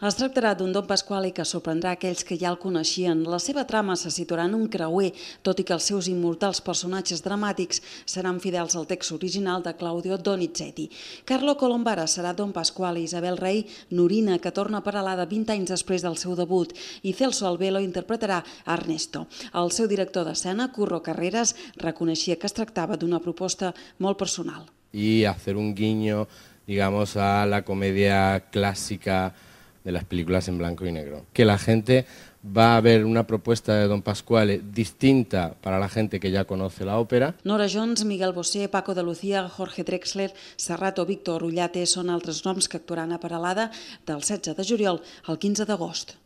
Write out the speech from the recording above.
Es tractarà d'un Don Pasquale que sorprendrà aquells que ja el coneixien. La seva trama se situarà en un creuer, tot i que els seus immortals personatges dramàtics seran fidels al text original de Claudio Donizetti. Carlo Colombara serà Don Pasquale, Isabel Rey, Norina, que torna a Peralada 20 anys després del seu debut, i Celso Alvelo interpretarà Ernesto. El seu director d'escena, Curro Carreras, reconeixia que es tractava d'una proposta molt personal. Y hacer un guiño, digamos, a la comedia clásica de las películas en blanco y negro. Que la gente va a ver una propuesta de Don Pasquale distinta para la gente que ya conoce la ópera. Nora Jones, Miguel Bosé, Paco de Lucía, Jorge Drexler, Serrato, Víctor Rullate són altres noms que actuaran a Peralada del 16 de juliol al 15 d'agost.